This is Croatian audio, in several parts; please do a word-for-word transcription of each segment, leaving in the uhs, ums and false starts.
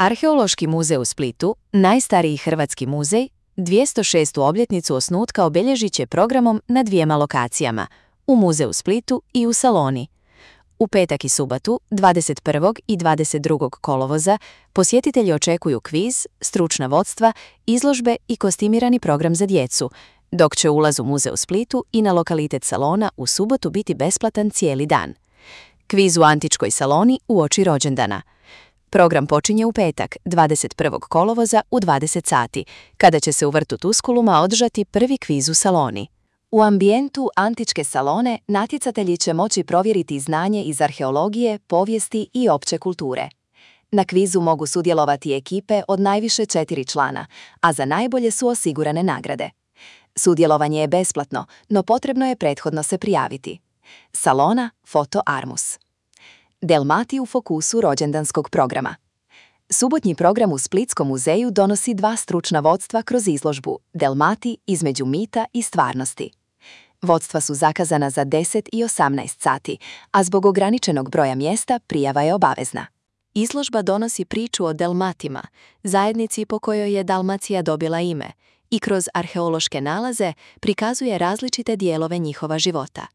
Arheološki muzej u Splitu, najstariji hrvatski muzej, dvjesto šestu obljetnicu osnutka obilježit će programom na dvijema lokacijama, u muzeju Splitu i u Saloni. U petak i subotu, dvadeset prvog i dvadeset drugog kolovoza, posjetitelji očekuju kviz, stručna vodstva, izložbe i kostimirani program za djecu, dok će ulaz u muzej u Splitu i na lokalitet Salona u subotu biti besplatan cijeli dan. Kviz u antičkoj Saloni uoči rođendana. Program počinje u petak, dvadeset prvog kolovoza u dvadeset sati, kada će se u vrtu Tuskuluma održati prvi kviz u Saloni. U ambijentu antičke Salone natjecatelji će moći provjeriti znanje iz arheologije, povijesti i opće kulture. Na kvizu mogu sudjelovati ekipe od najviše četiri člana, a za najbolje su osigurane nagrade. Sudjelovanje je besplatno, no potrebno je prethodno se prijaviti. Salona, foto Armus. Delmati u fokusu rođendanskog programa. Subotnji program u Splitskom muzeju donosi dva stručna vodstva kroz izložbu Delmati između mita i stvarnosti. Vodstva su zakazana za deset i osamnaest sati, a zbog ograničenog broja mjesta prijava je obavezna. Izložba donosi priču o Delmatima, zajednici po kojoj je Dalmacija dobila ime, i kroz arheološke nalaze prikazuje različite dijelove njihova života.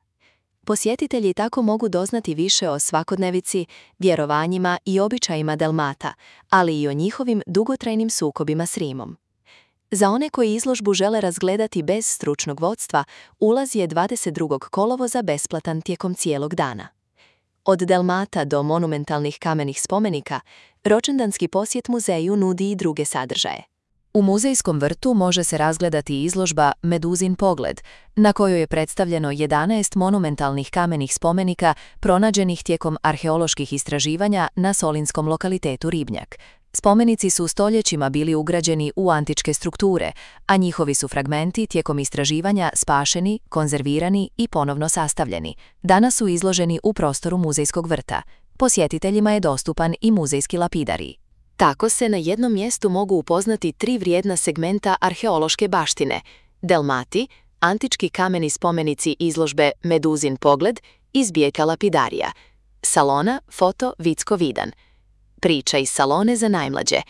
Posjetitelji tako mogu doznati više o svakodnevici, vjerovanjima i običajima Delmata, ali i o njihovim dugotrajnim sukobima s Rimom. Za one koji izložbu žele razgledati bez stručnog vodstva, ulaz je dvadeset drugog kolovoza besplatan tijekom cijelog dana. Od Delmata do monumentalnih kamenih spomenika, rođendanski posjet muzeju nudi i druge sadržaje. U muzejskom vrtu može se razgledati izložba Meduzin pogled, na kojoj je predstavljeno jedanaest monumentalnih kamenih spomenika pronađenih tijekom arheoloških istraživanja na solinskom lokalitetu Ribnjak. Spomenici su stoljećima bili ugrađeni u antičke strukture, a njihovi su fragmenti tijekom istraživanja spašeni, konzervirani i ponovno sastavljeni. Danas su izloženi u prostoru muzejskog vrta. Posjetiteljima je dostupan i muzejski lapidarij. Tako se na jednom mjestu mogu upoznati tri vrijedna segmenta arheološke baštine: Delmati, antički kameni spomenici izložbe Meduzin pogled i zbijeka lapidarija, Salona, foto Vicko Vidan. Priča iz Salone za najmlađe.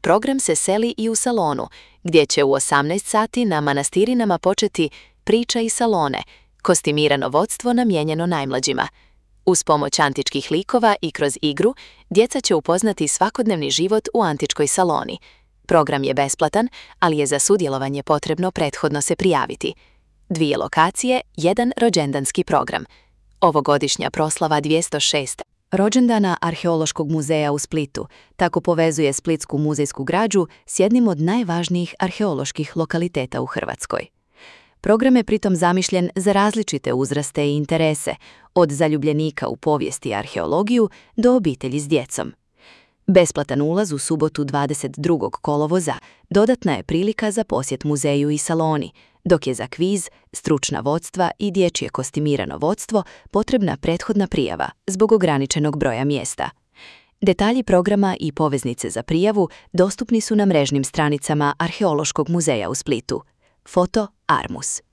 Program se seli i u Salonu, gdje će u osamnaest sati na manastirinama početi Priča iz Salone, kostimirano vodstvo namijenjeno najmlađima. Uz pomoć antičkih likova i kroz igru, djeca će upoznati svakodnevni život u antičkoj Saloni. Program je besplatan, ali je za sudjelovanje potrebno prethodno se prijaviti. Dvije lokacije, jedan rođendanski program. Ovogodišnja proslava dvjesto šest. Rođendana Arheološkog muzeja u Splitu tako povezuje splitsku muzejsku građu s jednim od najvažnijih arheoloških lokaliteta u Hrvatskoj. Program je pritom zamišljen za različite uzraste i interese, od zaljubljenika u povijest i arheologiju do obitelji s djecom. Besplatan ulaz u subotu dvadeset drugog kolovoza dodatna je prilika za posjet muzeju i Saloni, dok je za kviz, stručna vodstva i dječje kostimirano vodstvo potrebna prethodna prijava zbog ograničenog broja mjesta. Detalji programa i poveznice za prijavu dostupni su na mrežnim stranicama Arheološkog muzeja u Splitu. Foto Armus.